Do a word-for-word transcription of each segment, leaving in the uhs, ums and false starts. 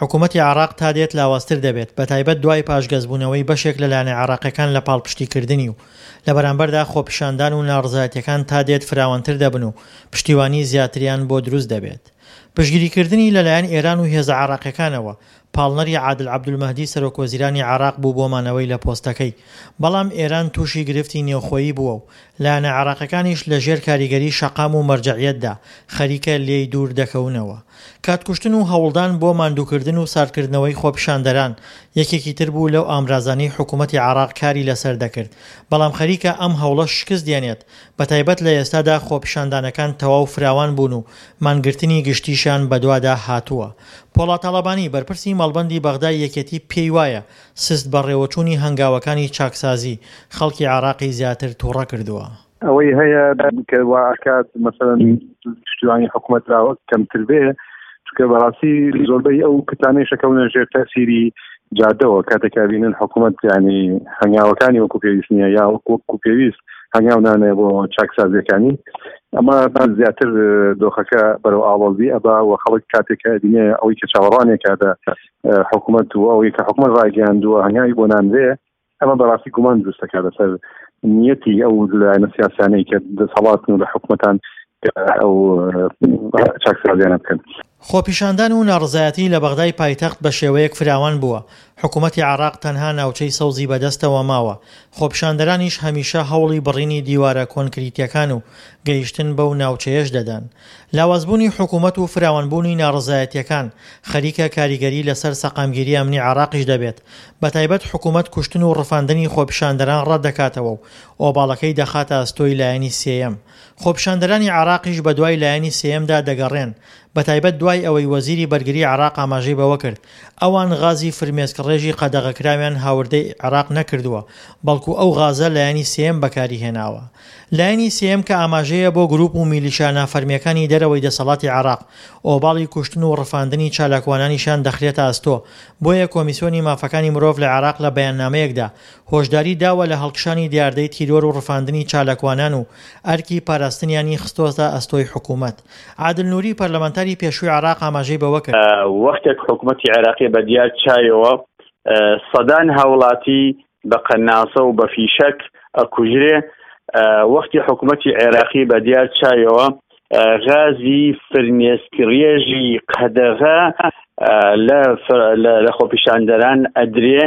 حکومەتی عێراق تا دێت لاوازتر دەبێت، بەتایبەت دوای پاشگەزبوونەوەی بەشێک لە لایەنە عێراقیەکان لە پاڵپشتیکردنی و لە بەرامبەردا خۆپیشاندان و ناڕەزایەتیەکان تا دێت فراوانتر دەبن و پشتیوانی زیاتریان بۆ دروست دەبێت. پشتگیریکردنی لەلایەن ئێران و هێزە عێراقیەکانەوە، پاڵنەری عادل عەبدولمەهدی سەرۆکوەزیرانی عێراق بوو بۆ مانەوەی لە پۆستەکەی، بەڵام ئێران تووشی گرفتی نێوخۆیی بووە و لایەنە عێراقیەکانیش لەژێر کاریگەری شەقام و مەرجەعیەتدا خەریکە لێی دوور دەکەونەوە. کاتکوشتن و هەوڵدان بۆ ماندووکردن و ساردکردنەوەی خۆپیشاندەران یەکێکی تر بوو لەو ئامرازانەی حکوومەتی عێراق کاری لەسەر دەکرد، بەڵام خەریکە ئەم هەوڵەش شکست دێنێت، بەتایبەت لە ئێستادا خۆپیشاندانەکان تەواو فراوان بوون و مانگرتنی گشتیشیان بەدوادا هاتووە. پۆڵا تاڵەبانی، بەرپرسی مەڵبەندی بەغدای یەکێتی پێی وایە سست بەڕێوەچوونی هەنگاوەکانی چاکسازی، خەڵکی عێراقی زیاتر تووڕە کردووە. ئەوەی هەیە کە وا ئەکات مەسەلەن پشتیوانی حکوومەت لاوە کەمتر بێ، چونکە بەڕاستی زۆربەی ئەو کتانەی شەکەونە ژێر تەسیری جادەوە کاتێک بینن حکوومەت ینی هەنگاوەکانی وەکو پێویست نییە یا وەکو پێویست هەنگاو نانێ بۆ چاکسازیەکانی، ئەمە زیاتر دۆخەکە بەرەو ئاڵۆزی ئەبا و خەڵک کاتێک بینێ ئەوەی کە چاوەڕوانێکە لە حکوومەت و ئەوەی کە حکوومەت ڕایگەیاندووە هەنگاوی بۆ نانرێ، ئەمە بەڕاستی گومان دروست دەکات لەسەر نیەتی ئەو لایەنە سیاسیانەی کە دەسەڵاتن و لە حکوومەتان ئەو چاکسازیانە بکەن. خۆپیشاندان و ناڕەزایەتی لە بەغدای پایتەخت بە شێوەیەک فراوان بووە، حکوومەتی عێراق تەنها ناوچەی سەوزی بەدەستەوە ماوە، خۆپیشاندەرانیش هەمیشە هەوڵی بڕینی دیوارە کۆنکریتیەکان و گەیشتن بەو ناوچەیەش دەدەن. لاوازبوونی حکوومەت و فراوانبوونی ناڕەزایەتیەکان خەریکە کاریگەری لەسەر سەقامگیری ئەمنی عێراقیش دەبێت، بەتایبەت حکوومەت کوشتن و ڕفاندنی خۆپیشاندەران ڕەت دەکاتەوە و ئۆباڵەکەی دەخاتە ئەستۆی لایەنی سێیەم. خۆپیشاندەرانی عێراقیش بەدوای لایەنی سێیەمدا دەگەڕێن، بەتایبەت دوای ئەوەی وەزیری بەرگری عێراق ئاماژەی بەوە کرد ئەوان غازی فرمێسکڕێژی قەدەغەکراویان هاوردەی عێراق نەکردووە، بەڵکو ئەو غازە لایەنی سێیەم بەکاری هێناوە. لایەنی سێیەم کە ئاماژەیە بۆ گروپ و میلیشیا نافەرمیەکانی دەرەوەی دەسەڵاتی عێراق، ئۆباڵی کوشتن و ڕفاندنی چالاکوانانیشیان دەخرێتە ئەستۆ، بۆیە کۆمیسیۆنی مافەکانی مرۆڤ لە عێراق لە بەیاننامەیەکدا هۆشداری داوە لە هەڵکشانی دیاردەی تیرۆر و ڕفاندنی چالاکوانان و ئەرکی پاراستنیانی خستۆتە ئەستۆی حکوومەت. عادل نوری پەرلەمانتاری پێشووی عێراق ئاماژەی بەوە کرد، وەختێک حکوومەتی عێراقی بە دیار چایەوە سەدان هاوڵاتی بە قەناسە و بە فیشەک ئەکوژرێ، وەختی حکوومەتی عێراقی بە دیار چایەوە غازی فرمێسکڕێژی قەدەغە لە خۆپیشاندەران ئەدرێ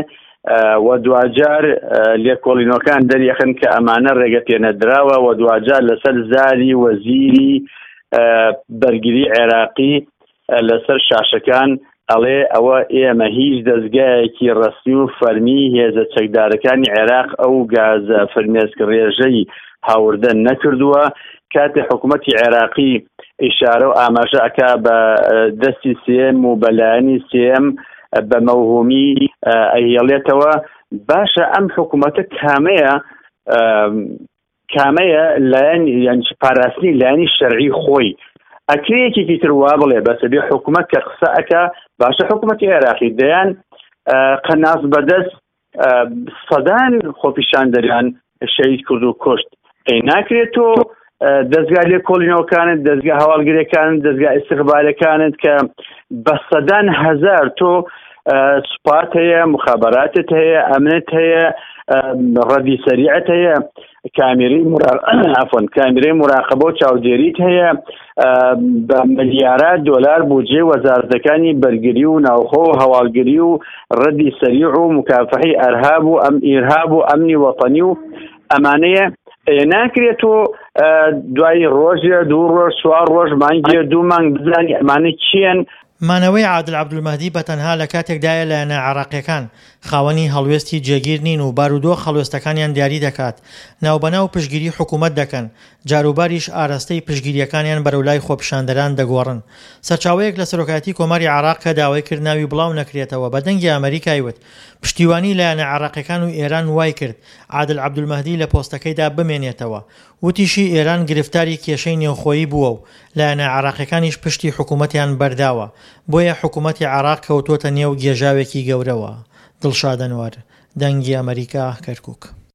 و دواجار لێکۆڵینەوەکان دەریەخن کە ئەمانە ڕێگە پێنەدراوە و دواجار لەسەر زاری وەزیری بەرگری عێراقی لەسەر شاشەکان ئەڵێ ئەوە ئێمە هیچ دەستگایەکی ڕەسمی و فەرمی هێزە چەکدارەکانی عێراق ئەو گازە فرمێسک ڕێژەی هاوردە نەکردووە. کاتێ حکوومەتی عێراقی ئیشارە و ئاماژە ئەکا بە دەستی سێم و بەلایەنی سێم بە مەوهومی ئەهێڵێتەوە. باشە ئەم حکوومەتە کامەیە کامەیە لایەن یان پاراستنی لایەنی شەرعی خۆی؟ ئەکرێ یەکێکی تر وا بڵێ بەسە بێ حکوومەت کە قسە ئەکا، باشە حکوومەتی عێراقی دەیان قەناس بەدەست سەدان خۆپیشاندەریان شەهید کرد و کوشت، ئەی ناکرێت تۆ دەستگا لێکۆڵینەوەکانت، دەستگا هەواڵگرەکانت، دەستگا ئیستیخبارەکانت کە بە سەدان هەزار تۆ سوپات هەیە، مخابراتت هەیە، ئەمنت هەیە، ڕەدی سەریعت هەیە، کامیرەی عفوا کامیرەی مراقبە و چاودێریت هەیە، بە ملیارات دۆلار بودجەی وەزارەتەکانی بەرگری و ناوخۆ و هەواڵگری و ڕەدی سەریع و مکافحەی ئەرهاب و ئەم ئیرهاب و ئەمنی وەتەنی و ئەمانەیە. ناکرێت تۆ دوای ڕۆژێ دوو ڕۆژ چوار ڕۆژ مانگێ دوو مانگ بزانی ئەمانە چییەن. مانەوەی عادل عەبدولمەهدی بە تەنها لە کاتێکدایە لایەنە عێراقیەکان خاوەنی هەڵوێستی جێگیر نین و بارودۆخ هەڵوێستەکانیان دیاری دەکات، ناوبەناو پشتگیری حکوومەت دەکەن، جاروباریش ئاراستەی پشتگیریەکانیان بەرەو لای خۆپیشاندەران دەگۆڕن. سەرچاوەیەک لە سەرۆکایەتی کۆماری عێراق کە داوای کرد ناوی بڵاو نەکرێتەوە بە دەنگی ئەمریکای وت، پشتیوانی لایەنە عێراقیەکان و ئێران وای کرد عادل عەبدولمەهدی لە پۆستەکەیدا بمێنێتەوە. وتیشی ئێران گرفتاری کێشەی نێوخۆیی بووە و لایەنە عێراقیەکانیش پشتی حکوومەتیان بەرداوە، بۆیە حکوومەتی عێراق کەوتۆتە نێو گێژاوێکی گەورەوە. دڵشاد ئەنوەر، دەنگی ئەمریکا، کەرکووک.